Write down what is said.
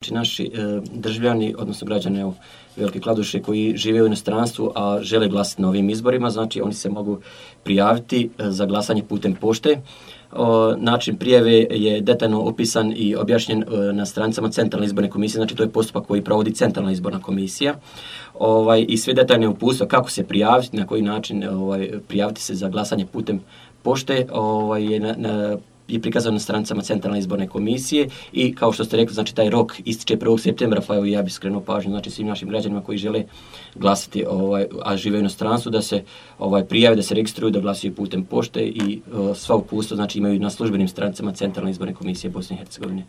Znači, naši državljani, odnosno građani Velike Kladuše koji žive u inostranstvu, a žele glasati na ovim izborima, znači oni se mogu prijaviti za glasanje putem pošte. Način prijave je detaljno opisan i objašnjen na stranicama Centralne izborne komisije, znači to je postupak koji provodi Centralna izborna komisija. I sve detaljne uputstva kako se prijaviti, na koji način prijaviti se za glasanje putem pošte je prikazano na stranicama Centralne izborne komisije i kao što ste rekli, znači taj rok ističe 1. septembra, pa evo ja bih skrenuo pažnju znači svim našim građanima koji žele glasati, a žive u inostranstvu, da se prijave, da se registruju, da glasuju putem pošte i sva uputstva znači imaju na službenim stranicama Centralne izborne komisije Bosne i Hercegovine.